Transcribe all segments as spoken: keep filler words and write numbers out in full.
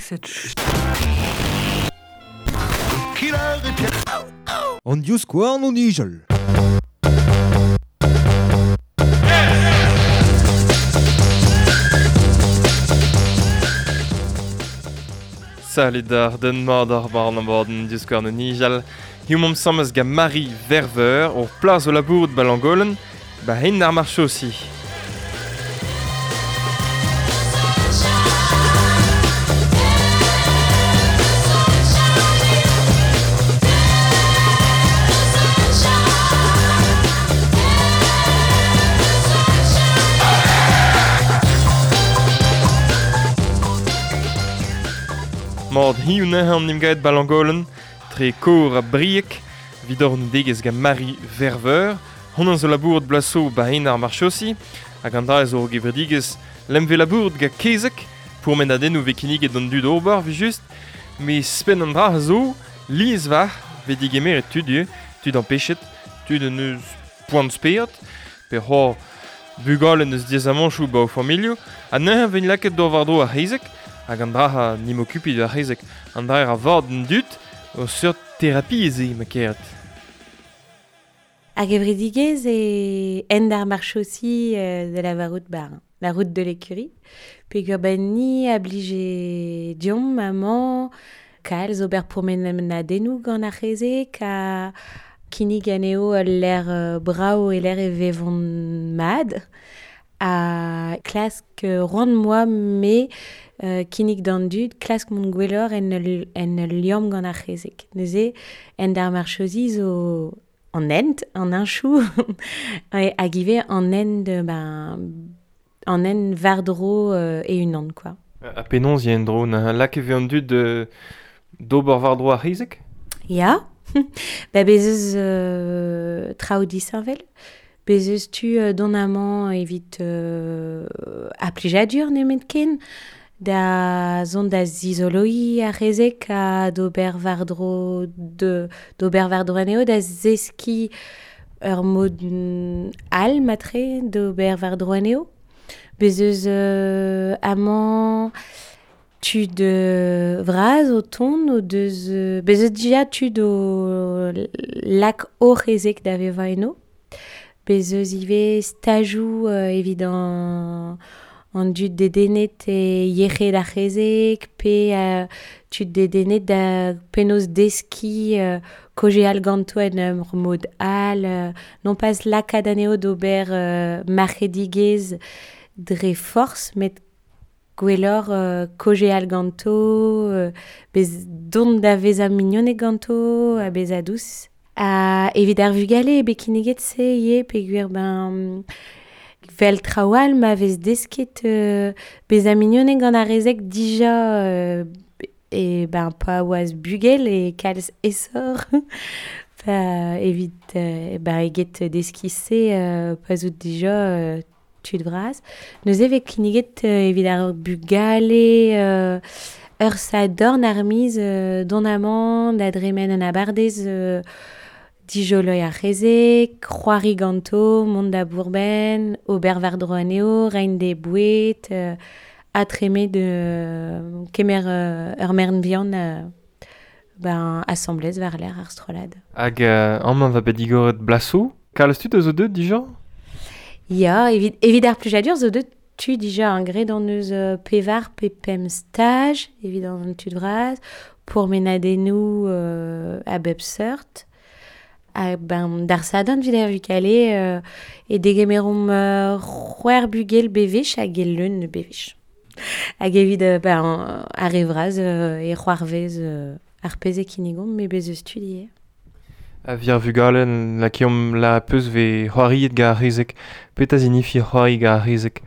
Cette ch... An divskouarn o nijal. Salut d'ar den mat ar bar an bord an divskouarn o nijal. Hiziv omp asambles gant Marie Verveur ur plas o labourat ba Langolen, ba hen ar marchosi. Mat hiziv neuze an emgavet ba Langolen, tre kor a briek, evit hor degez gant Marie Verveur, hon an zo labourat blaso ba hen ar marchosi, hag an dra zo gevredigez lemve labourat ga kezek, pourmenadennoù ve kinniget d'an dud ober, vi just, me spen an dra zo, lies var, ve digemeret tud eo, tud an pechet, tud an eus poan spered, pe c'hoar bugale eus diazamanchoù ba o familhoù, ha neuze ven lakaet d'or war-dro ar c'hezeg, hag an dra ha nim okupi ar c'hezeg, an dra a vord an dud, o seurt therapie eo ma keret. Hag evredigez e end ar marchosi de la varout bar, la route de l'écurie. Peogwir ben ni a blije diomp maman kalz ober pourmenadennoù gant ar c'hezeg ha kinnig anezho ul lec'h brav e lec'h e vevont mat. Ha klask roan moa me euh, kinnig d'an dud, klask mont gwelloc'h en ul, en ul liamm gant ar c'hezeg. Neuze, end ar marchosi zo an hent, an hinchou, hag ivez an hent, ben, an hent war-dro euh, e-unan, quoi. Ha penaos eo en-dro, na lak e vez an dud euh, d'ober war-dro ar c'hezeg? Ya, ba bez eus euh, traoù disheñvel. Bez eus tu euh, dont amañ evit euh, ar plijadur nemetken, da zont da zizoloiñ ar c'hezeg ha d'ober war-dro de, d'ober war-dro anezho, da zeskiñ ur mod all matre d'ober war-dro anezho. Bez eus euh, amañ tud euh, vras o tont o deus... Euh, bez eus dija tud o lak o c'hezeg da vevañ eno. Bez eus ivez stajoù euh, evit an, an dud dedennet e yec'hed ar c'hezeg, pe euh, tud dedennet da penaos deskiñ euh, kaozeal ganto en ur mod all, euh, non pas lakaat anezho d'ober euh, marc'hedigezh dre forzh, met gwelloc'h euh, kaozeal ganto, euh, bez dont da vezañ mignoned ganto, ha bezañ dous. Ha evit ar vugale eo bet kinniget se ivez peogwir ben vel traoù all ma vez desket euh, bezañ mignoned gant ar c'hezeg dija euh, e ben pa oaz bugel e kalz aesoc'h pa evit euh, ben eget deskiñ se euh, pa zo dija euh, tud vras. Neuze vez kinniget euh, evit ar bugale euh, ur sadorn ar miz euh, dont amañ da dremen an abardez euh, dijoloiñ ar c'hezeg, c'hoari ganto, mont da bourben, ober war-dro anezho, reiñ d'e boued, euh, ha treme de euh, kemer euh, ur merenn vihan euh, ben, asambles war-lerc'h ar strollad. Hag euh, amañ va bet digoret blasoù, kalz tud a zo deuet dija? Ya, evit, evit ar plijadur zo deuet tud dija an graet an eus euh, pevar pe pemp staj, evit an tud vras, pourmenadennoù euh, a bep seurt. Ha ben, d'ar sadorn evit ar vugale euh, e degemeromp euh, c'hwec'h bugel bevech hag e leun bevech. Hag evit euh, ben, ar re vras euh, e c'hoarvez euh, ar pezh e kinnigomp, met bez eus tud ivez. A vir vugale lakeomp la peus ve c'hoariet gant ar c'hezeg. Petra zinifi c'hoari gant ar c'hezeg?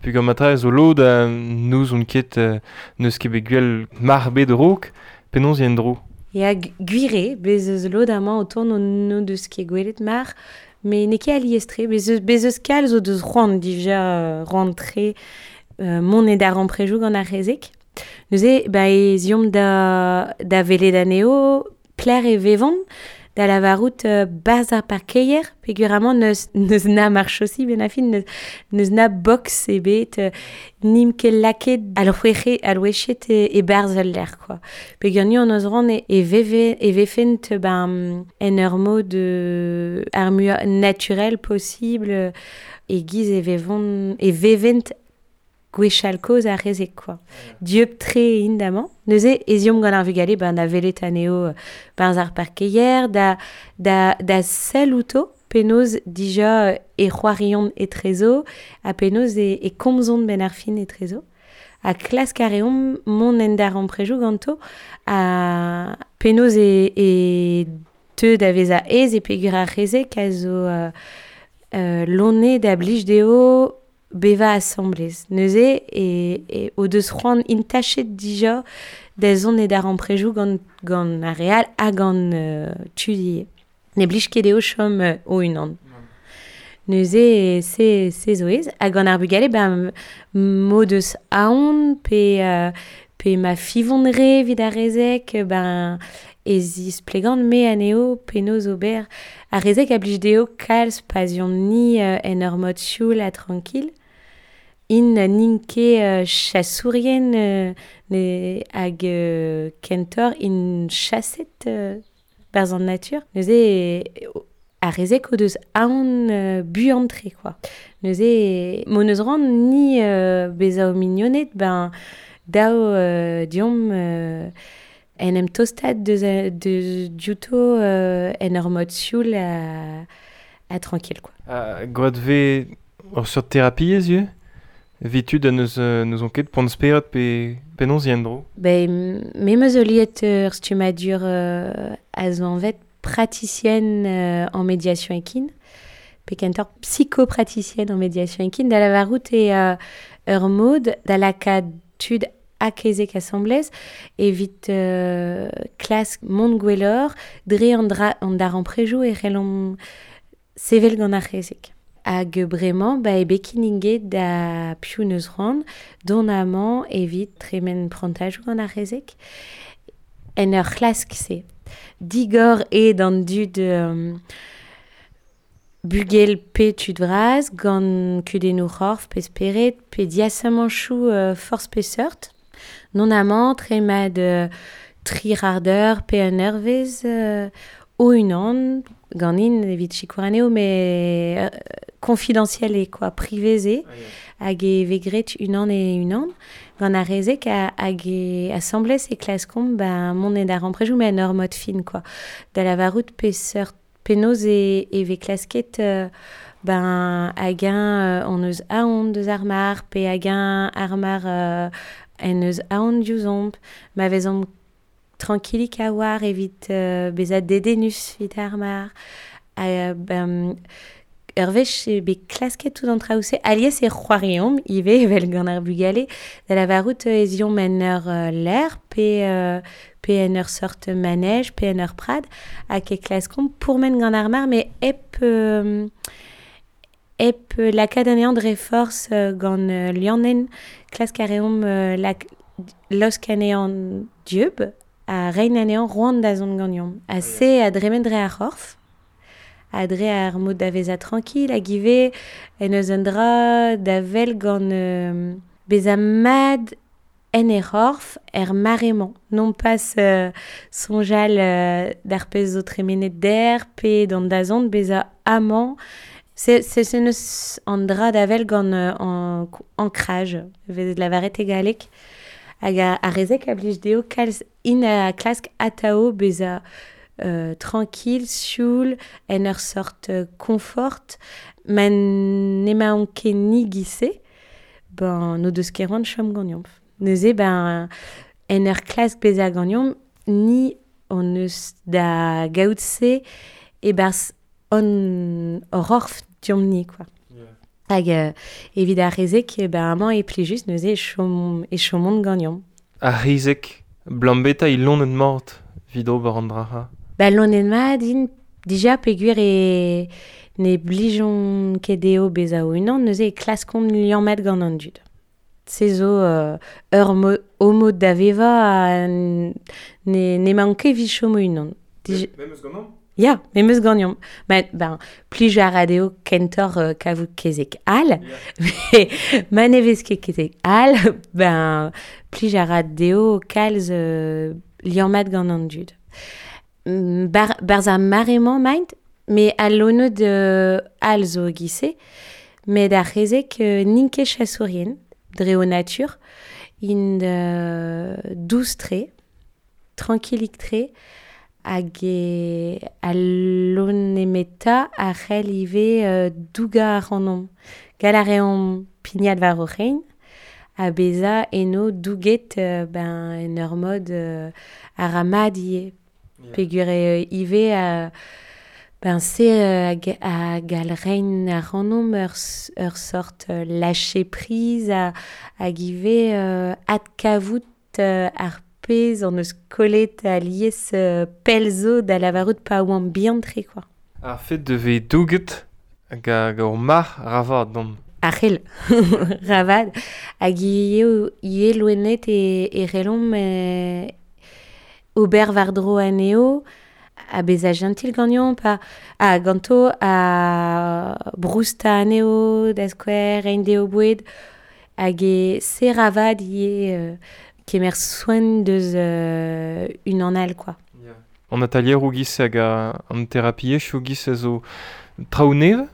Peogwir matra zo lod euh, n'ouzon ket euh, n'eus ket bet gwell mar bet a-raok, penaos eo en-dro? Ya gwir eo, bez eus lod amañ o tont n'o deus ket gwelet mar, met n'eo ket alies-tre, bez eus, bez eus kalz o deus c'hoant dija euh, c'hoant-tre euh, mont e d'ar amprejoù gant ar c'hezeg. Neuze, ba ez eomp da, da welet anezho, pelec'h e vevont, da lavarout euh, barz ar parkeier, peogwir neus, neus na marchosi ben a fin, neus, neus na box ebet, euh, nim ket laket al c'hwec'he al wechet e, e barz al l'air, quoi. Peogwir ni on eus ran e, e, veve, e vefent ben, en ur mod euh, ar mua naturel possible, e giz e vevont, e vevent gwechall kozh ar rezek, quoi. Dieub tre indamant. Neuze, eziom gant ar vugale, ben, da velet anezho barz ar parkeier, da, da, da sell outo, penaos dija e c'hoariont etrezo, ha penaos e, e komzont ben ar fin etrezo. Ha klask a reomp mont en dar amprejou ganto, ha penaos e, e teu da veza ez e peogwir ar rezek a zo euh, euh, lonne da blij dezho beva asamblez. Neuze, e, e o deus c'hoant intachet dija da zont e dar amprejou gant, gant ar real ha gant euh, tud. Ne blij ket dezho chom euh, o unan. Neuze, se, se zo ez. Ha gant ar bugale, ben, m'o deus aon pe, euh, pe ma fivont re evit ar rezek, ben, ez isplegant me anezho penaos ober. Ar rezek a blij dezho kalz pazion ni euh, en ur mod sioul ha tranquil. In n'int ket euh, chasourien euh, ne, hag euh, kentor in chaset euh, barz an natur. Neuze, e, ar rezek o deus aon euh, buan-tre, quoi. Neuze, m'o neus ran ni euh, bezañ o mignoned, ben, dao euh, diomp euh, en em tostat deus, deus diouto euh, en ur mod sioul ha, ha tranquil, quoi. Uh, gwad ve ur seurt terapiezh ivez? Evit tud a neus, neus on ket poan spered pe penaos yen dro? Ben, me meus liet ur stummadur euh, a zo anvet praticienne euh, en médiation équine, pe kentor psychopraticienne en médiation équine, da lavarout e euh, ur mod da lakaat tud akezek asamblez evit euh, klask mont gwelloc'h dre an, dra, an dar amprejou e c'hellomp sevel gant ar c'hezek. Hag bremañ, ba e bekin inget da piv neus c'hoant, dont amañ evit tremen prantajoù gant ar c'hezek. En ur c'hlask se. Digor e d'an dud euh, bugel pe tud vras, gant kudennoù c'horf pe spered, pe diasamanchoù euh, forzh pe seurt. Non amañ tremad euh, tri c'hardeur pe un eurvezh euh, o unan, ganin evit sikour anezho, mais euh, confidentiel e, quoi, priveze, hag e vegret unan e unan, gant ar rezek a, hag e asamblez e klaskomp ba mont en dar amprejou, mais en ur mod fin, quoi. Da lavarout pe seurt penaos e, e ve klasket euh, ben hag un euh, on eus aon deus ar mar, pe hag un ar mar euh, en eus aon diouzomp, ma vezomp tranquillik a war evit euh, bezañ dedennus evit ar mar. Ha, ben, ur wech e bet klasket tout an traoù-se, alies e c'hoariomp ivez evel gant ar bugale, da lavarout ez iomp en ur euh, l'air, pe, euh, pe en ur sort manège, pe en ur prad, hag e klaskomp pourmen gant ar mar, mais hep, euh, hep lakaat anezhañ dre forzh euh, gant euh, liannen, klask a reomp euh, lak, laosk anezhañ dieub, ha reiñ anezhañ roan da zont ganeomp. Ha se a dremen dre ar c'horf, ha dre ar mod da vezañ tranquil, hag ivez en eus un dra da vel gant euh, bezañ mad en e c'horf er mare-mañ. Non pas euh, soñjal euh, d'ar pezh zo tremenet der, pe d'an dazont bezañ amañ. Se, se, se neus an dra da vel gant euh, an ancrage, vezet lavaret e galleg, hag a, ar rezek a blij dezho kalz in a klask atao bezañ euh, tranquille, sioul, en ur sort euh, confort, ma n'emaon ket ni giz-se, ben n'o deus ket c'hoant chom ganeomp. Neuze, ben, en ur klask bezañ ganeomp, ni on eus da gaout se e-barzh on hor orf diomp-ni, quoi. Hag euh, evit ar rezek, ben amañ e plijus neuze e chom, e chomont ganeomp. Ar rezek, blambeta il lonet mort evit ober an dra. Ba lonet mat int dija peogwir e ne blijont ket dezho bezañ o-unan, neuze e klaskont liammat gant an dud. Se zo euh, ur mo, o mod da vevañ ha ne, n'emaon ket evit chom o-unan. Dija... Memes gant an? Ya, me meus gagnon. Ben, ben, plij a radio kentor euh, kavout kezek al, yeah. Ma ne vez ket kezek al, ben, plij a radio kalz euh, liammat gant an dud. Bar, barz ar maremañ maint, me al lonod euh, al zo gise, met ar c'hezek euh, n'int ket chasourien, dre o natur, int euh, dous-tre, tranquillik-tre, hag e al lonemeta a c'hell ivez euh, douga ar anomp. Gall a reomp pignat war o c'hein, a beza eno douget euh, ben, en ur mod euh, ar amad ivez. Yeah. Peogwir eo ivez a, ben se euh, hag, hag al rein ar anomp ur, ur sort euh, lâcher prise a, hag ivez euh, adkavout euh, ar pezh an eus kollet a lies euh, pell zo da lavarout pa oan bihan-tre, quoi. Ar fet de ve douget hag hag ur mar ravad dom. Ar c'hell, ravad, hag eo ivez loened e, e relomp e, ober war-dro anezho, a bezañ gentil ganeomp, pa a ganto a brousta anezho, da skouer, reiñ dezho boued, hag e se ravad ivez euh, kemer soen deus euh, unan all, quoi. Yeah. An atalier o giz hag a, an terapiezh o giz a zo traoù nevez?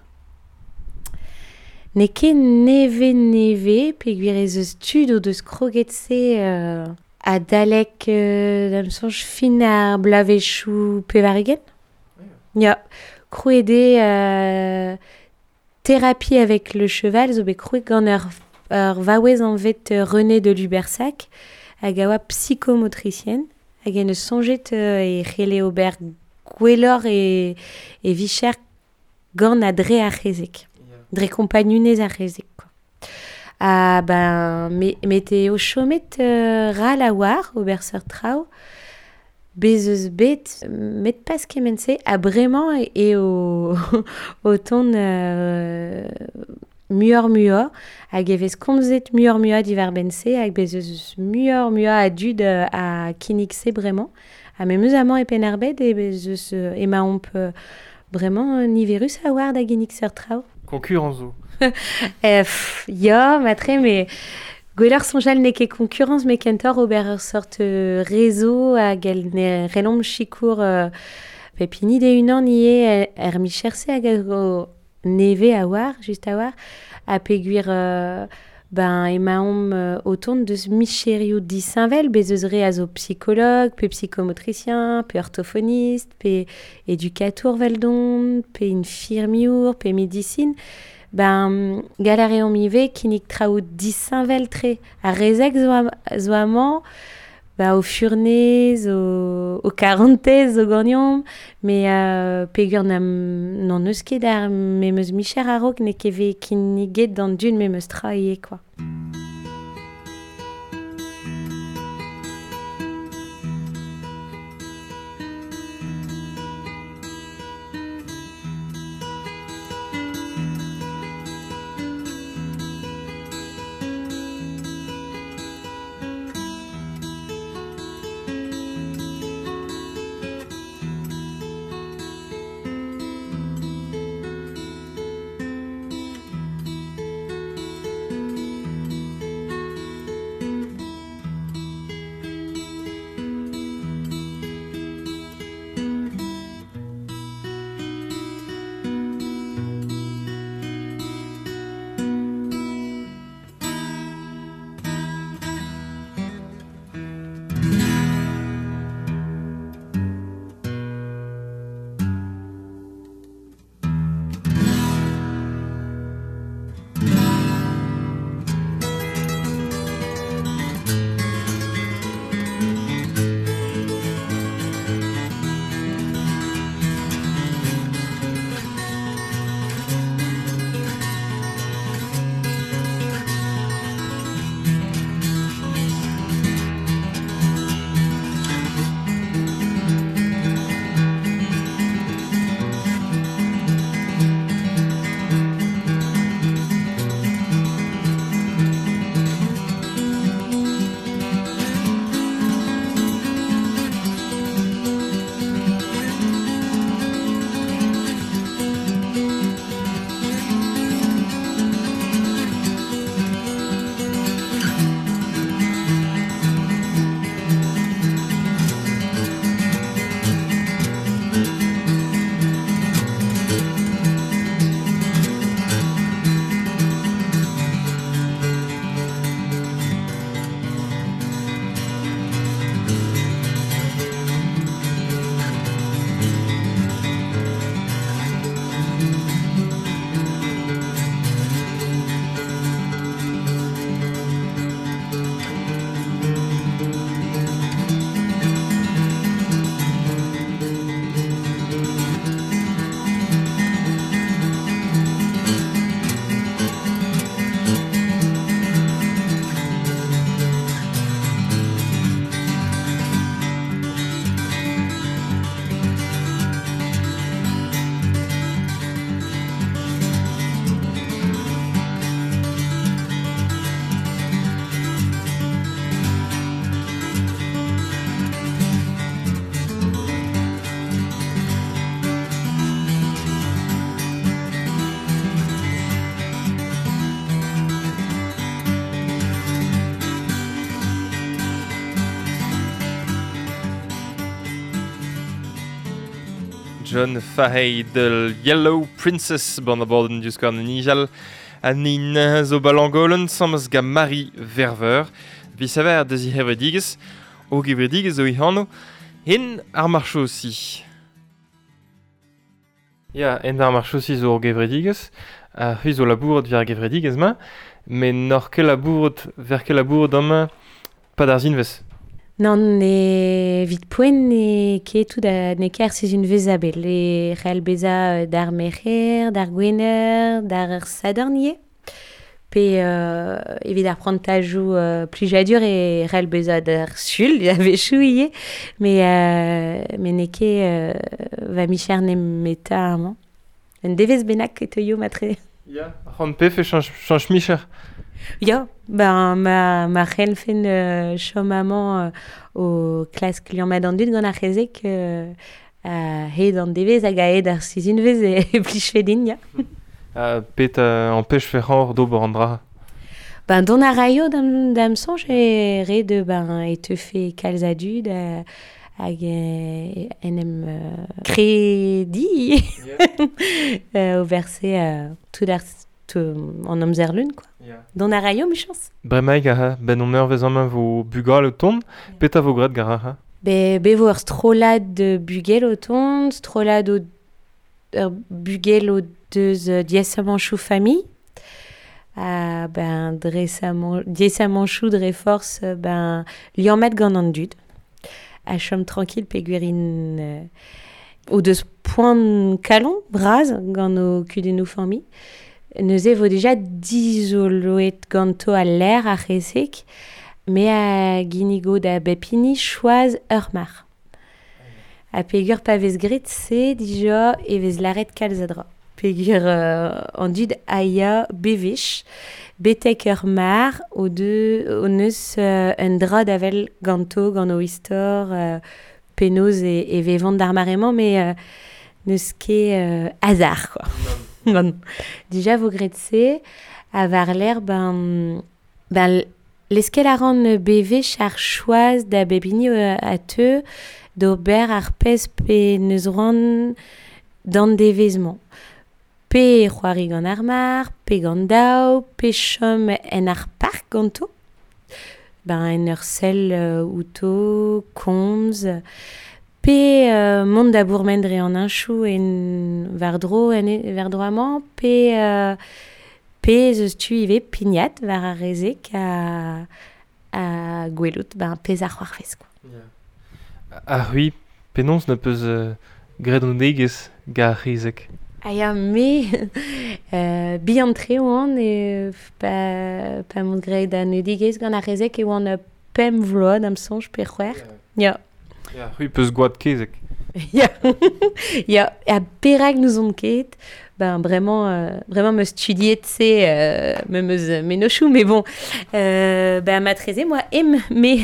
N'eo ket nevez-nevez, peogwir ez eus tud o deus kroget se euh, adalek euh, da'm soñj fin ar bloavezhioù pevar-ugent. Yeah. Ya, krouet eo euh, thérapie avec le cheval zo bet krouet gant ur, ur vaouez anvet René de Lubersac, hag a oa psychomotricienne, hag en eus soñjet euh, e c'helle ober gwelloc'h e, e vicher gant a dre ar c'hezeg. Yeah. Dre kompagnunez ar c'hezeg, quoi. Ha ben, me, met eo chomet euh, ral a war ober seurt traoù, bez eus bet, met pas kement-se, ha bremañ eo o tont euh, muioc'h muioc'h, hag e vez komzet muioc'h muioc'h diwar-benn-se, hag bez eus muioc'h muioc'h a dud euh, a kinnig-se bremañ. Ha memes amañ e Penn-ar-Bed e bez eus euh, emaomp euh, bremañ niverus a war da ginnig seurt traoù. Concurrence zo. Eh, pff, ya, matre, mais gwelloc'h soñjal n'eo ket concurrence, met kentoc'h ober ur sort euh, réseau hag el ne relomp sikour euh, pep hini de-unan ivez er micher-se hag a zo nevez a war, just a war, ha peogwir euh, ben emaomp euh, o tont deus micherioù disheñvel, bez eus re a zo psychologue, pe psychomotricien, pe orthophoniste, pe éducatour veldon, pe infirmiour, pe médecine. Ben, gall a reomp ivez kinnig traoù disheñvel-tre. Ar rezeg zo, am, zo amañ, ba, o furnez, o, o karantez zo ganeomp, met euh, peogwir n'am, n'an eus ket ar memes micher a-raok n'eo ket vez kinniget d'an dud memes tra ivez, quoi. John Fahey The Yellow Princess ban abadenn Divskouarn o Nijal ha ni zo ba Langolen samez gant Marie Verveur visaver deus he c'hevredigezh o gevredigezh zo he anv Hent ar marchosi. Ya, hent ar marchosi zo ur gevredigezh ha c'hwi zo labourat war ar gevredigezh-mañ met n'oc'h ket labourat ver ket labourat amañ pad ar zinvez. Nann, evit poent n'eo ket tout a n'eo ket ar sizhunvezh a-bell. E c'hell bezañ d'ar merc'her, d'ar gwener, d'ar sadorn ivez. Pe euh, evit ar prantajoù euh, plijadur e c'hell bezañ d'ar sul, a-wechoù ivez. Mais, euh, met n'eo ket euh, va micher nemetañ amañ. Un devezh bennak e teuio matre. Ya, c'hoant pefe chañch, chañch micher. Ya, ben ma, ma c'hellfen euh, chom amañ euh, o klask liammat an dud gant ar c'hezeg euh, a-hed an devezh hag a-hed ar sizhunvezh e, e plijfe din, ya. Ha pet uh, ampech ferc'hor d'ober an dra. Ben dont a raio da'm, da'm soñj e ret ben e teufe kalz a dud euh, hag euh, en em euh, krediñ euh, o verse euh, tout ar an amzer lun, quoi. Yeah. Dont a raio, michañs. Bremaik aha, ben on eurvezh amañ vo bugale o tont, petra vo graet gar aha? Be, be vo ur strollad de bugel o tont, strollad o, ur bugel o deus euh, diaesamanchoù familh. Ha ben dre diaesamanchoù dre forzh ben liammet gant an dud. Ha chom tranquille peogwir int euh, o deus poan kalon bras gant o kudennoù familh. Neuze vo deja dizoloet ganto al lec'h ar c'hezeg, me a ginnigo da bep hini choaz ur mar. Ha peogwir pa vez graet se dija e vez lâret kalz a dra. Peogwir euh, an dud a ya bewech, betek ur mar o deus o neus euh, un dra da wel ganto gant o istor euh, penaos e, e vevont d'ar mare-mañ, mais euh, n'eus ket euh, hasard, quoi. Bon. Dija vo graet se, ha war-lerc'h ben, ben leskel a ran bewech ar choaz da bep hini a teu d'ober ar pezh pe neus ran d'an devezh-mañ. Pe c'hoari gant ar mar, pe gant daou, pe chom en ar park ganto. Ben en ur sell euh, outo, komz, pe euh, mont da bourmen dre an heñchoù en war-dro en e, war-dro amañ, pe euh, pe ez eus tu ivez pignat war ar rezeg a, a gwelout ben pezh ar c'hoarvez, quoi. Yeah. Ha c'hwi, penaos na peus euh, graet an degezh gant ar c'hezeg? Ah ya, me euh, bihan-tre oan e pa, pa mont graet an degezh gant ar c'hezeg e oan pemp vloaz da'm soñj pe c'hwec'h. Yeah. Ya. Ya, c'hwi peus gwad kezeg. Ya, ya, ha perak n'ouzon ket, ben vraiment, euh, vraiment meus studiet se euh, me meus mennozhioù, mais bon, euh, ben matreze moi em, me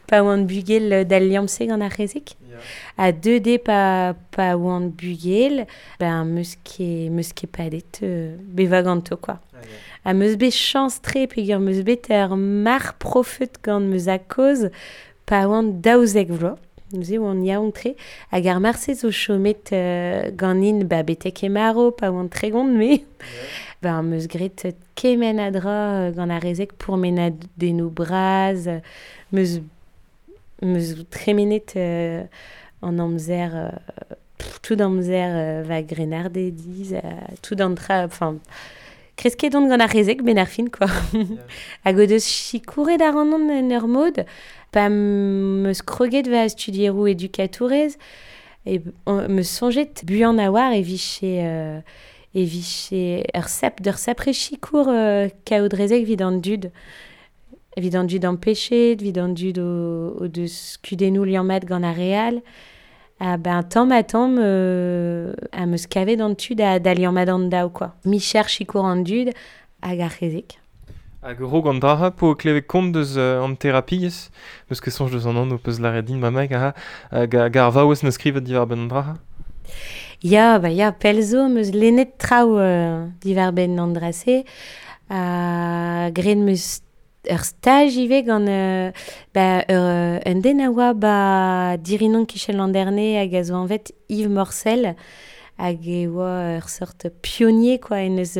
pa oan bugel d'al liamm-se gant ar c'hezeg. Yeah. Ha deux dez pa, pa oan bugel, ben meus ket, meus ket padet euh, bevañ ganto, quoi. Ah, yeah. Ha meus bet chañs-tre peogwir meus bet ur mar profet gant meus a-kozh pa oan daouzek vloaz. Neuze oan yaouank-tre, hag ar marse zo chomet euh, ganin ba betek e maro, pa oan tregont, me. Ben meus graet kement a dra gant ar rezeg pourmenadennoù bras, meus, meus tremenet euh, an amzer, euh, pff, tout amzer euh, va grenarde diz, euh, tout an tra, enfin, kresket on gant ar rezeg ben ar fin, quoi. Yeah. Hag o deus sikouret ar an en ur mod, pa meus kroget va studieroù edukatourez, e meus soñjet buan a war e vije, euh, e vije ur sap, d'ur sapre sikour euh, kaout rezeg evit an dud. Evit an dud ampechet, evit an dud o, o deus kudennoù liammat gant ar re all. Ha ben tamm ha tamm euh, a meus kavet an tu da, da liammat an daou, quoi. Micher sikour an dud hag ar c'hezeg. Hag rog an dra po klevet kont deus euh, an terapiezh, meus ket soñj deus an anv peus lâret din bremaik aha, hag hag ar vaouez neus skrivet diwar-benn an dra. Ya, ba ya, pell zo meus lennet traoù euh, diwar-benn an dra-se, ha graet meus ur staj ivez gant euh, ba, ur, un den a oa ba dirinon kichen landerne hag a zo anvet Yves Morcel hag e oa ur sort pionnier quoi en eus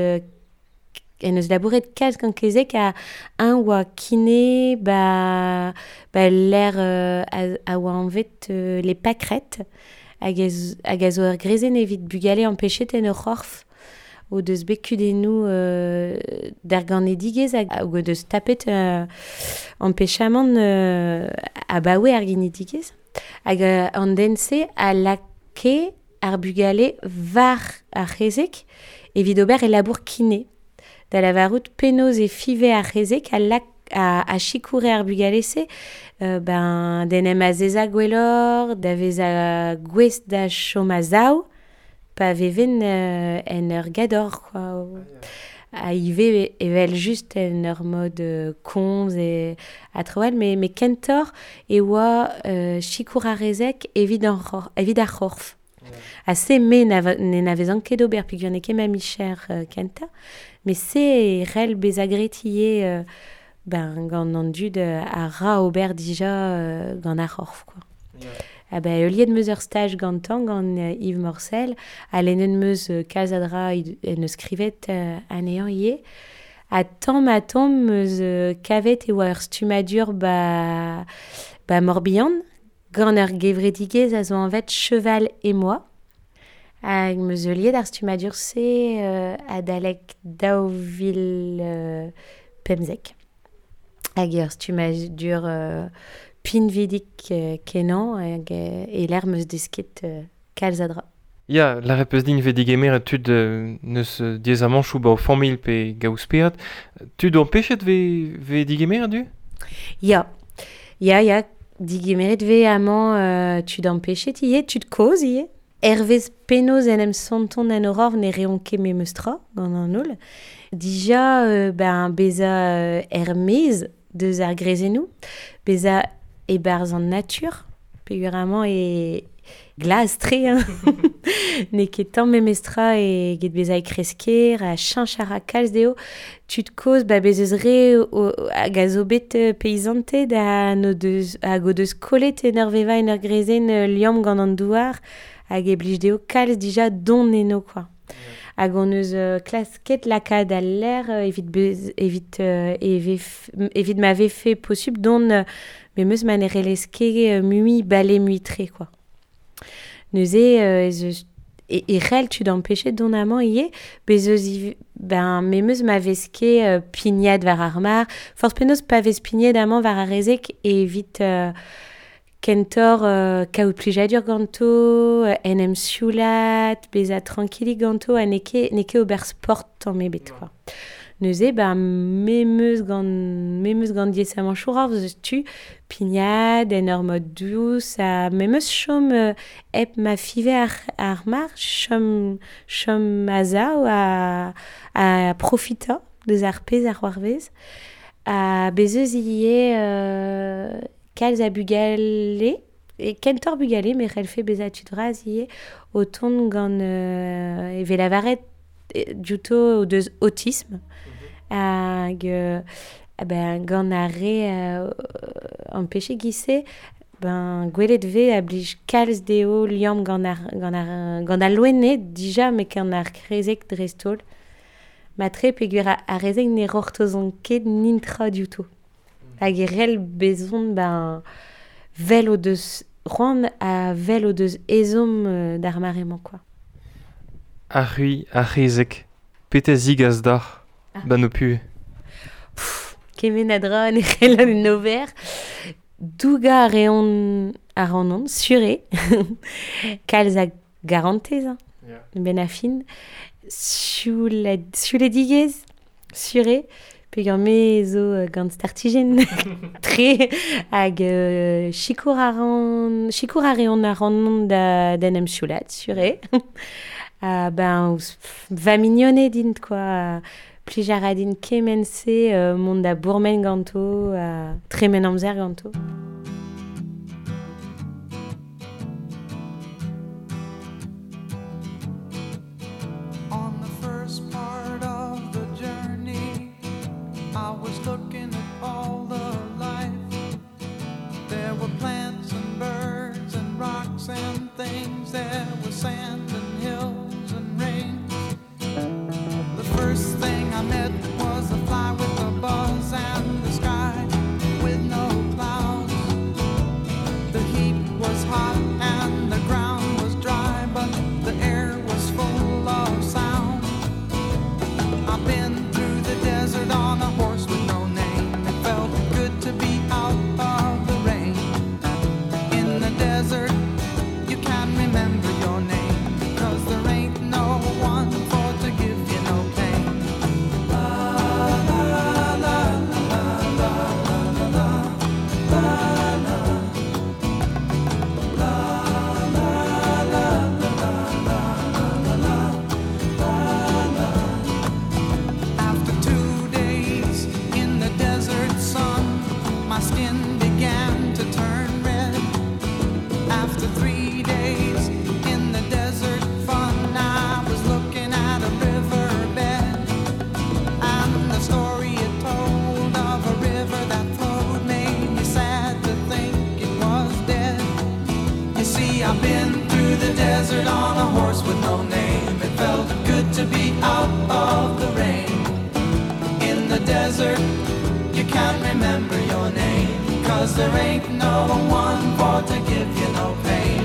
en eus labouret kalz gant kezek a un oa kine ba, ba l'air euh, a, a oa anvet euh, les pâquerettes hag a, hag a zo ur grezen evit bugale empechet en ur c'horf o deus bet kudennoù euh, d'ar ganedigezh hag o deus tapet euh, empechamant euh, abaoe ar ginedigezh. Hag euh, an den-se a lake ar bugale var ar c'hezek evit ober e labour kine. Da lavarout penaos e five ar c'hezek a lak a, a chikoure ar bugale-se, euh, ben, den em azeza gwellor, da veza gwez da chom a zaou, pa veven euh, en ur gador, quoi. A ive evel just en ur mod euh, komz e a troal, mais, mais kentor e oa euh, chikour ar rezek evit, an c'hor, evit ar c'horf. A se me ne n'avezan ket ober peogwir n'eo ket ma micher euh, kenta, mais se e rel beza gretier euh, ben, gant an dud a ra ober dija euh, gant ar c'horf, quoi. Yeah. Ah ben, euliet meus ur staj gantañ gant euh, Yves Morcel, a lennet meus euh, kalz a dra en eus skrivet euh, anezhañ ivez. Ha tamm ha tamm meus euh, kavet e oa ur stummadur ba, ba Morbihan, gant ur gevredigezh a zo anvet Cheval et moi. Hag meus euliet ar stummadur-se euh, adalek daou vil euh, pemzek. Hag ur stummadur euh, pinvidik euh, kenañ hag euh, e l'air meus desket euh, kalz a dra. Ya, la repeus din ve digemer tud euh, neus euh, diaezamanchoù ba o familh pe gaouspeat. Tud empechet ve, ve digemer du? Ya, ya, ya, digemeret ve amañ euh, tud empechet ivez, tud kozh ivez. Hervez penaos en em santon en horror ne reont ket memes tra gant an holl. Dija, euh, ben, beza euh, er-maez deus ar grezennoù, beza e-barzh an natur, peogwir amañ e glas-tre, hein. N'eo ket tamm memes tra eget bezañ e kresker, a cheñch a ra kalz dezho. Tud kozh, ba bez eus re o, hag a zo bet euh, peizanted ha n'o deus, hag o deus kollet en ur vevañ en ur grezenn euh, liamm gant an douar hag e blij dezho kalz dija don eno, quoi. Hag on eus euh, klasket lakaat al lec'h euh, evit, bez, evit, euh, evef, evit ma vefe posupl don euh, memes ma ne relez ket euh, mui bale mui tre, quoi. Neuze euh, ez eus e, e c'hell tud empechet don amañ ivez, bez eus iv, ben, memes ma vez ket euh, pignat war ar mar, forzh penaos pa vez pignat amañ war ar rezek evit euh, kentor euh, kaout plijadur ganto, euh, en em sioulat, bezañ tranquillik ganto, ha n'eo ket, n'eo ket ober sport tamm ebet, quoi. Neuze, ben, memes gant, memes gant diaezamanchoù ar eus tu, pignat, en ur mod dous, ha memes chom euh, hep ma five ar, ar mar, chom, chom a-sav a, a profitañ deus ar pezh ar c'hoarvez. Ha bez eus ivez euh, kalz a bugale, e kentor bugale, me c'hellfe bezañ tud vras ivez, o tont gant euh, evel lavaret diouto o deus autisme. Hag euh, ben, gant ar re euh, empechet giz-se, ben, gwelet vez a blij kalz dezho liamm gant ar, gant ar, gant al loened dija, met gant ar krezek dreist-holl. Matre peogwir ar, ar rezek ne rortozont ket nintra diouto. Hag e rel bezont, ben, vel o deus c'hoant ha vel o deus ezhomm euh, d'ar mare-mañ, quoi. Ar c'hwi, ar c'hezeg, petra zigas d'ar Ah. ban ho puhez? Pff, kement a dra ne c'hellan en ober. Dougañ a reont ar an sur eo. Kalz a garantez, hein, Yeah. ben a fin. Sioul- siouledigezh, sur eo. Peogwir me zo gant startijenn tre hag euh, sikour a ran, sikour a reont ar an da, d'en em sioulat, sur eo. Ha ben, ouz, va mignoned int, quoi. Plij a ra din kement-se euh, mont da bourmen ganto, ha tremen amzer ganto. On the first part of the journey, I was looking at all desert, you can't remember your name, 'cause there ain't no one for to give you no pain.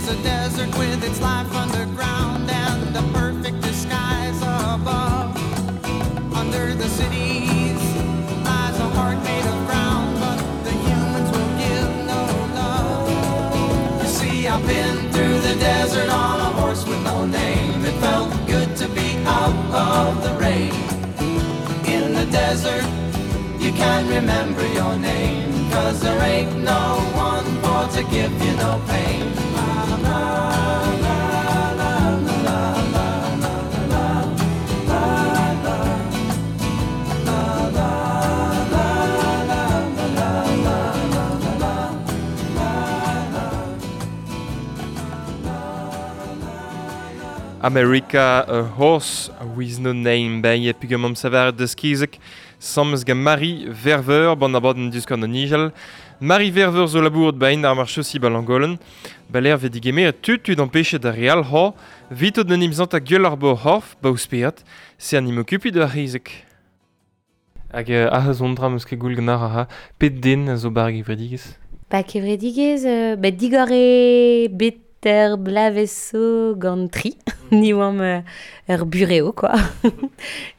A desert with its life underground and a perfect disguise above. Under the cities lies a heart made of ground, but the humans will give no love. You see, I've been through the desert on a horse with no name. It felt good to be out of the rain. In the desert, you can't remember your name, 'cause there ain't no one for to give you no pain. America, a horse with no name, bei pugam savar deus kezek, sammes gant Marie Verveur, ban abadenn diouzh an nijal. Marie Verveur zo labouret bain ar marchosi balangolen, baler ve digemer tut tud empêchet da real ho, vitot an imzant a gueul ar bo horf, ba ouspeat, se an imokupi da rizek. Hag uh, ah zo dra meus ket goul gant ar ha, pet den a zo bar gevredigez? Ba kevredigez, euh, ba digore bet ter blaveso gant tri, ni oam euh, ur bureo, quoi.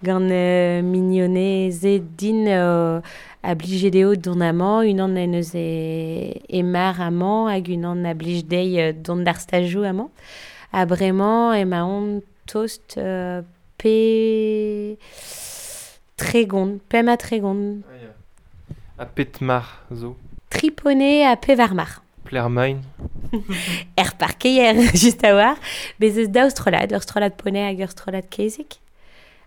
Gant euh, mignoneze din euh, a blije deo don amañ, unan en eus e, e mar amañ, hag unan a blij dei euh, don d'ar stajou amañ. Ha bremañ emaon tost euh, pe tregont, pem a tregont. Ah, ya. A pet mar zo? Tripone a pevar mar. Plermain. Er parkeier, just a war. Bez eus daou strollad, ur strollad poney hag ur strollad kezek.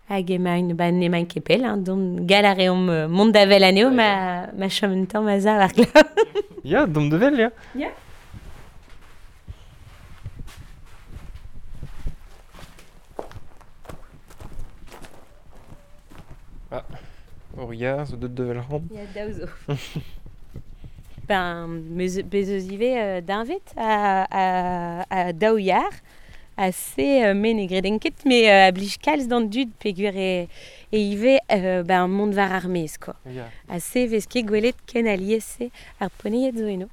Hag emañ ba n'emañ ket pell, hein, don gal a reomp euh, mont da vel anezho, ma, ma chom un tamm a za war glav. Ya, dom de vel, ya. Ya. Ah, ur yar zo deut de vel ran. Ya, daou zo. Ben, meus, bez eus ivez euh, d'invet a, a, a daou yar, a se euh, me ne greden ket, me euh, a blij kalz d'an dud peogwir e, e ivez euh, ben, mont war ar maez, quoi. Ya. A se vez ket gwelet ken alies-se ar poneiet zo eno.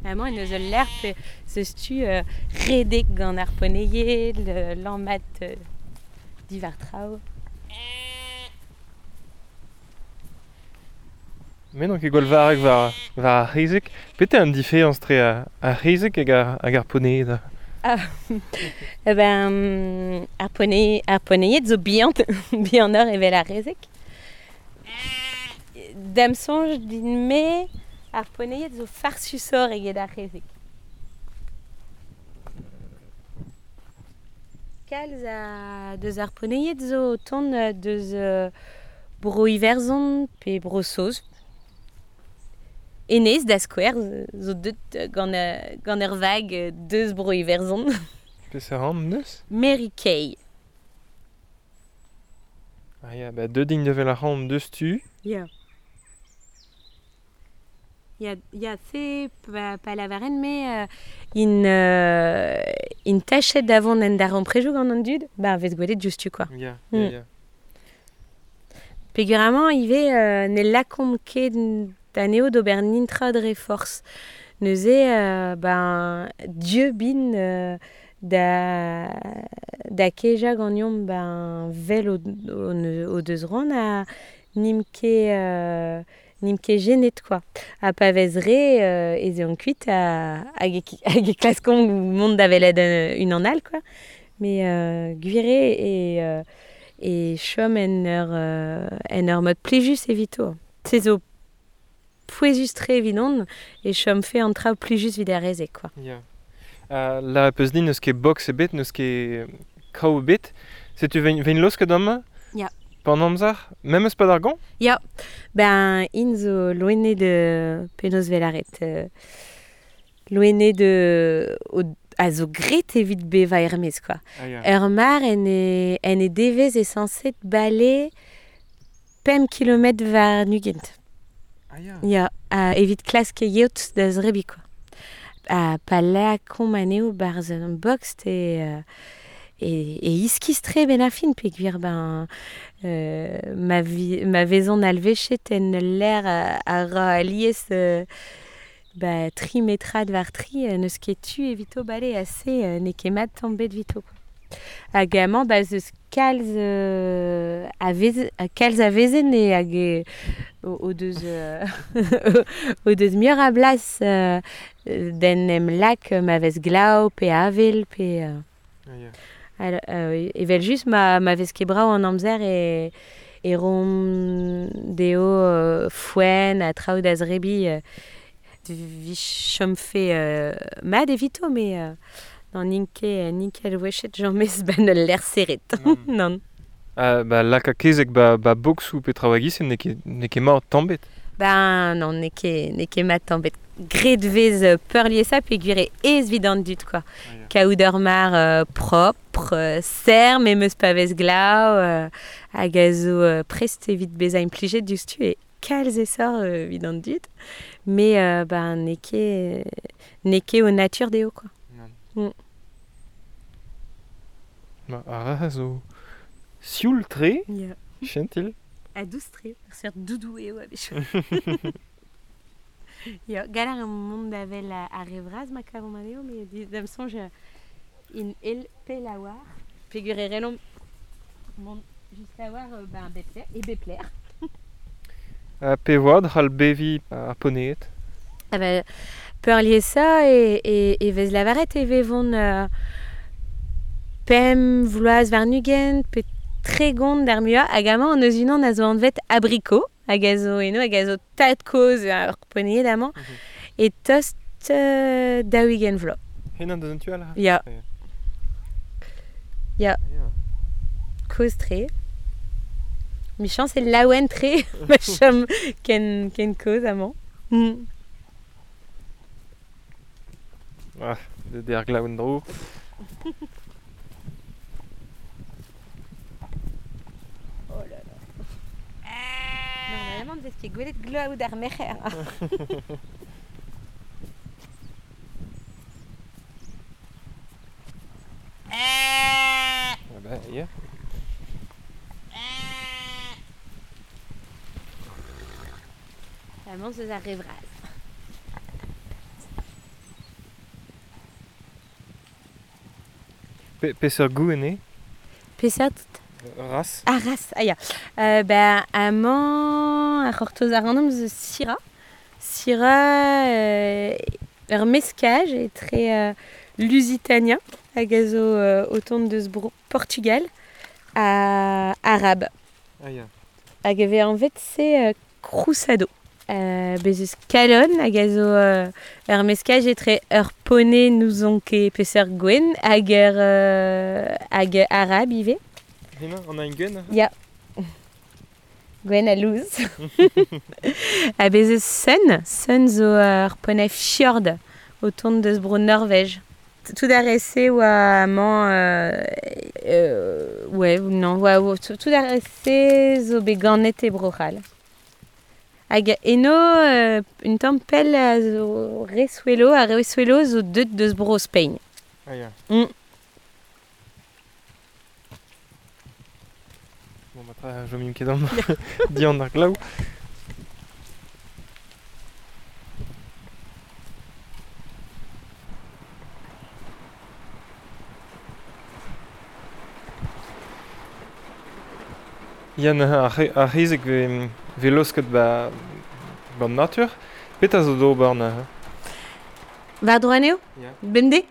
Amañ en eus ul lec'h pe zeus tu euh, redek gant ar poneiet, le lammat euh, divar traoù. Mais non ket gwall varrek war, war ar c'hezeg. Pete an diferañs tre ar, ar c'hezeg hag ar, hag ar poneied? Ah, eh ben, ar ponei, ar poneied zo bihan, bihanoc'h evel ar c'hezeg. Da'm soñj din-me, ar poneied zo farsusoc'h eget ar c'hezeg. Kalz a deus ar poneied zo o tont deus euh, bro Iwerzhon pe bro Saoz. Enez da skouer zo deut gant, gant ur vag deus bro Iwerzhon. Peseurt anv neus? Mary Kay. Ah ya, ba deut int evel ar c'hamp deus tu. Ya. Ya, ya se pa, pa lavaren me euh, in, euh, in tachet davon en dar amprejou gant an dud, ba vez gwelet diouzhtu, quoi. Ya, Mm. ya, ya. Peogwir amañ ivez euh, ne lakomp ket anezho d'ober nintra dre forzh. Neuze, euh, ben, dieu bin euh, da, da kejañ ganeomp ben, vel o, o, o deus ran a nim ket, euh, N'im ket genet, quoi. Ha pa vez re, euh, ez eont kuit a, hag e, hag e klaskont mont da welet un an all, quoi. Mais euh, gwire e, euh, e chom en ur, euh, en ur mod plijus evito. Se zo pouezus tre evidon e chom fe an traoù plijus vid ar reze, quoi. Yeah. Uh, la peus din n'eus ket box ebet, n'eus ket kraou ebet. Setu vein, vein losket amañ? Ya. Pan amzer, même eus pad ar gant? Ya, ben in zo loene de penaos velaret. Euh, loene de o, a zo gret evit beva ermez, quoi. Ah, ya. Ur mar en e, en e devez e sañset bale pemp kilometr war nugent. Ah, ya. Ya, a evit klask yeot da zrebi, quoi. A pa lakaomp anezho barzh an box te... Euh, E, e iskis-tre ben ar fin, peogwir ben euh, ma, vi, ma vezon alvechet en l'air a, a ra alies euh, ba, tri metrad war tri, n'eus ket tu evito bale ase euh, n'eo ket mat tamm bet vito, quoi. Hag amañ ba zeus kalz euh, a vez, kalz a vezen e hag e, o, o deus euh, o deus muioc'h a blas euh, d'en em lak ma vez glav pe avel pe... Euh, Ah, ya. Alors, euh, evel just ma, ma vez ket brav an amzer e, e rom deo euh, foenn ha traoù da zrebi euh, vi chom fe euh, mat evito, mais euh, n'an n'int ket n'int ket alwechet james ben ul lec'h serret. Non. Non. Uh, ba laka kezek ba, ba boxoù pe traoù a-giz, n'eo ket, n'eo ket mat tamm bet. Ben non, n'eo ket, n'eo ket mat tamm bet. Gret vez euh, peurliesañ peogwir e aes evit an dud, quoi. Ah, ya. Kaout ur mar euh, propre, euh, serr, memes pa vez glav, euh, hag a zo euh, prest evit bezañ implijet diouzhtu e kalz esor euh, evit an dud. Mais euh, ben n'eo ket, n'eo ket o natur dezho, quoi. Non. Mm. Ma ar ra zo sioul-tre, Yeah. chentil. A dous-tre, ur seurt doudou eo a-wechoù. Ya, galar eo mont da wel a, ar re vras ma kavomp anezho, met di- da'm soñj in el pel a war. Peogwir e relomp mont just a war euh, ben bepler, e bepler. Uh, pe voad c'hall bevi ar poneet. Ah ben, peurliesañ e, e, e vez lavaret e vevont euh, pemp vloaz warn-ugent pe tregont d'ar muiañ hag amañ an eus unan a zo anvet abricot hag a zo eno hag a zo tad-kozh ar poneet amañ Mm-hmm. e tost euh, daou-ugent vloaz. Henan deus an tu all? Ya. Ya. Ya. Ya. Kozh-tre. Michañs e laouen-tre ma chom ken, ken kozh amañ. Mm. Ah, de der glav en-dro. Oh là là. Normalement, vez ket gwelet glav d'ar merc'her. Ah ben, ya. Amañ zeus ar re vras. Pe, peseurt gouenn eo? Peseurt Ras? Ah, ras, ah ya. Euh, ben, amañ, ar c'hortoz ar an eus Syrah. Syrah, euh, ur meskaj etre euh, Lusitania, hag a zo euh, o tont deus bro Portugal, ha Arab. Ah ya. Hag e vez anvet se euh, Cruzado. Euh, bez eus Kalon hag a zo euh, ur meskaj etre ur poney n'ouzon ket peseurt gwenn hag ur, euh, hag Arab ivez. Hemañ, an a gwenn? Ya. Gwenn a louz. Ha bez eus Sun. Sun zo ur poney fjord o tont deus bro Norvège. Tout ar re-se oa amañ... Euh, euh, ouais, non, oa, oa, tout, tout ar re-se zo bet ganet e Bro-C'hall. Hag eno, euh, un tamm pell a zo re swelo, ar re swelo zo deut deus bro Spain. Ah ya. Mm. Bon, ma tra, jomim ket amañ dian ar glav. Yann, ar, ar c'hezeg ve, ve losket ba, ban natur. Petra zo d'ober neuze? War dro anezho? Yeah. Bemdez?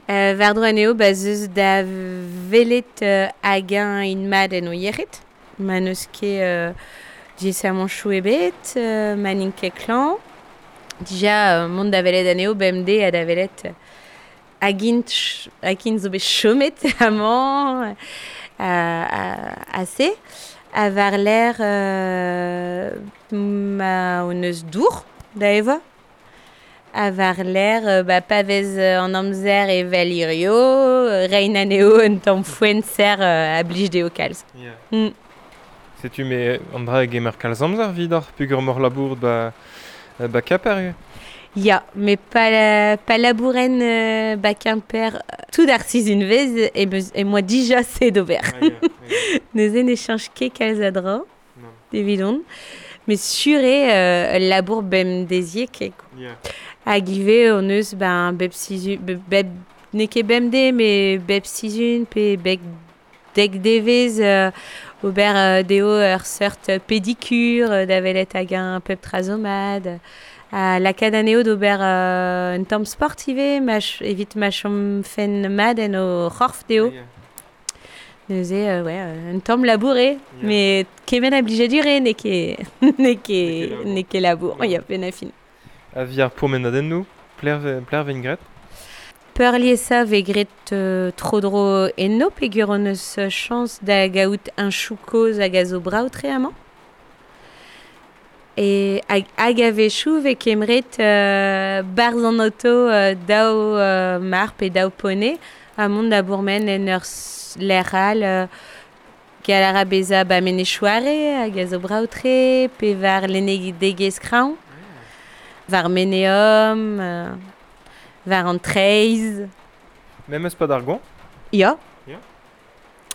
euh, war dro anezho, ba zeus da velet euh, hag un in mat en o yec'hed. Ma n'eus ket euh, diaesamanchoù ebet, euh, ma n'int ket klañv. Dija, euh, mont da velet anezho bemdez ha da velet euh, hag int, hag int zo bet chomet amañ euh, ase. A war l'air euh, ma on eus dour da evañ. A war l'air euh, ba pa vez an amzer e vel hirio, rein anezho un tamm foenn ser euh, a blij dezho kalz. Yeah. Mm. Setu me an dra gemer kalz amzer vidoc'h peogwir mor labour ba, ba Kemper. Ya, mais pa, la, pa labouren euh, ba Kemper tout ar sizhun vez e, beus, e moa dija se d'ober. Ah, yeah, yeah. Neuze ne change ket kalz a dra, evidon. Mais sur eo euh, labour bemdeziek eo. Yeah. Hag ivez on eus ben, bep sizhun, bep, bep, n'eo ket bemdez, mais bep sizhun pe bep dek devez euh, ober euh, dezho ur seurt pédicure euh, da welet hag un pep trazomad. A lakaat anezho d'ober euh, un tamm sport ivez, ma ch- evit ma chom fen mat en o c'horf dezho. Yeah. Neuze, euh, ouais, un tamm labour eo, Yeah. mais kement a blijadur eo n'eo ket n'eo ket n'eo ket labour, Yeah. ya penn a fin. A vi ar pourmenadennoù, pler, pler vez graet? Peurliesañ vez graet euh, tro-dro enno peogwir hon eus chañs da gaout un chou kozh hag a zo brav-tre amañ. E hag, hag a-wechoù vez kemeret euh, barzh an auto euh, daou euh, mar pe daou pone ha mont da bourmen en ur lec'h all euh, gall a ra bezañ ba Menez-Chouare hag a zo brav-tre pe war lennegezh kraoñ, war Meneom, euh, war an Treiz. Memes pa d'ar goañv? Ya. Ya.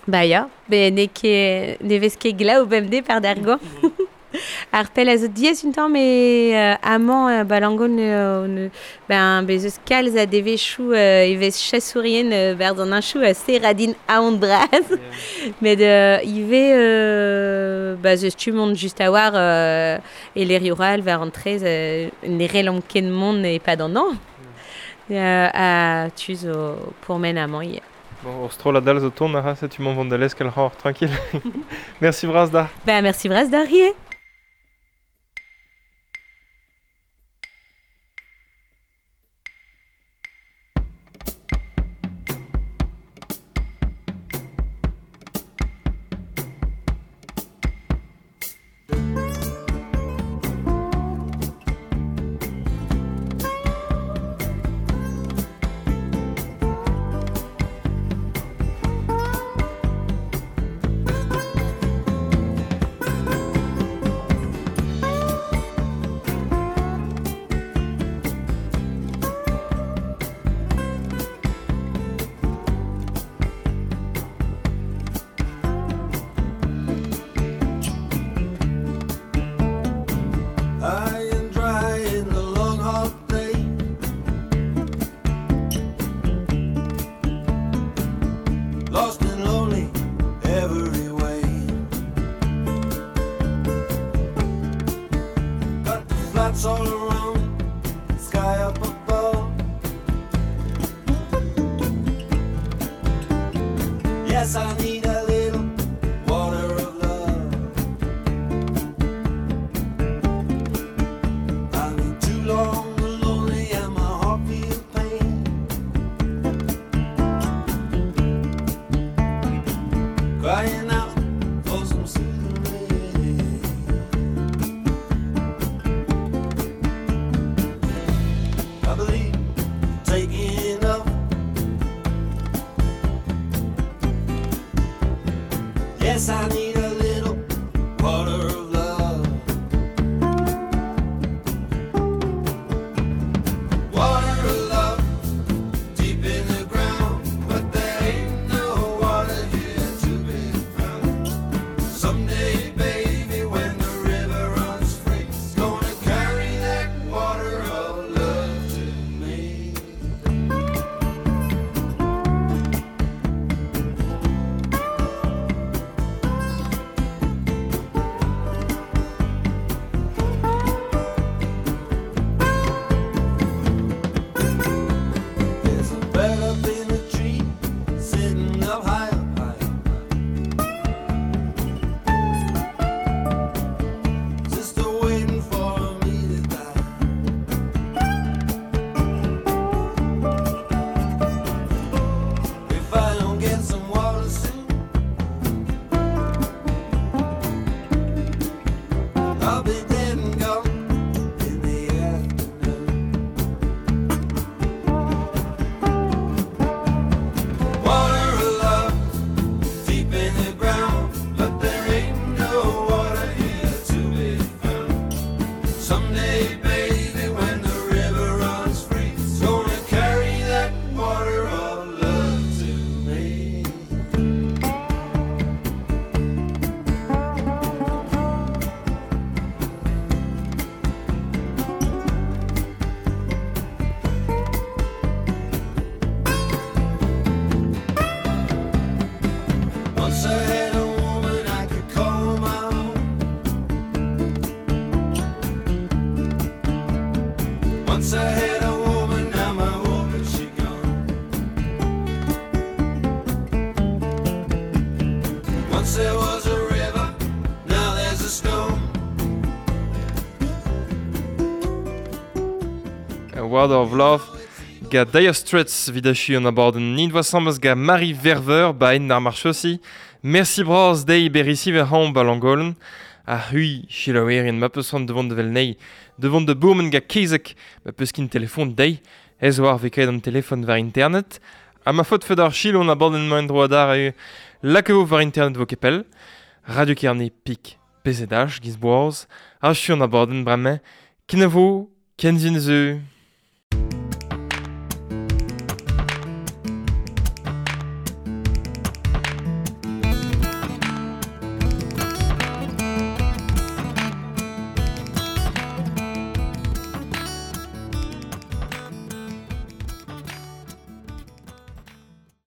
Ba ya, be n'eo ket ne vez ket glav bemdez par d'ar goañv. Ar pell a zo diaes un tamm e euh, amañ euh, ba Langon euh, ne, ben bez eus kalz a devezhioù euh, e vez chasourien euh, berz an anchoù a serradin aon bras. Yeah. Met euh, ivez euh, ba zeus tu mont just a war euh, e lerioù war an trez euh, ne relomp ken mont e pad an an. Euh, a tu zo pourmen amañ ivez. Bon, ur strollad all zo tont a ra, setu mont vont da leskel c'hor, tranquille. Merci bras da. Ba merci bras da rie. High and dry in the long hot day. Lost and lonely every way. Got the flats all around, sky up above. Yes, I need a little water of love. I've been too long lonely and my heart feels pain. Crying out for some soothing rain. I believe taking up. Yes, I need a little water of love. Water of love, deep in the ground, but there ain't no water here to be found. Someday, baby, when the river runs free, it's gonna carry that water of love to me. If I don't get some water soon, I'll be dead and gone in the afternoon. Water of love, deep in the ground, but there ain't no water here to be found. Someday, baby, when the river runs free, it's gonna carry that water of love to me. Once I had a woman I could call my own. Once I had a woman, now my woman she gone. Once there was a river, now there's a stone. A Water of Love ga Dire Straits vid achu an abadenn nint voa ga Marie Verveur ba en ar marchossi. Merci braz dei berisi ver haon ba langolen. A hui chilaouerien ma peus c'hoant devant de vel nei. Devant de bourmen ga kezek ma peus kin telefon dei. Ez oar vekaet an telefon war internet. Ha ma faot fed ar chil on abadenn maen droad ar e lakavo war internet vo kepel. Radio Kerne pik P Z H giz boaz. Achu an abadenn bremañ. Kenavo, kenzin zeu.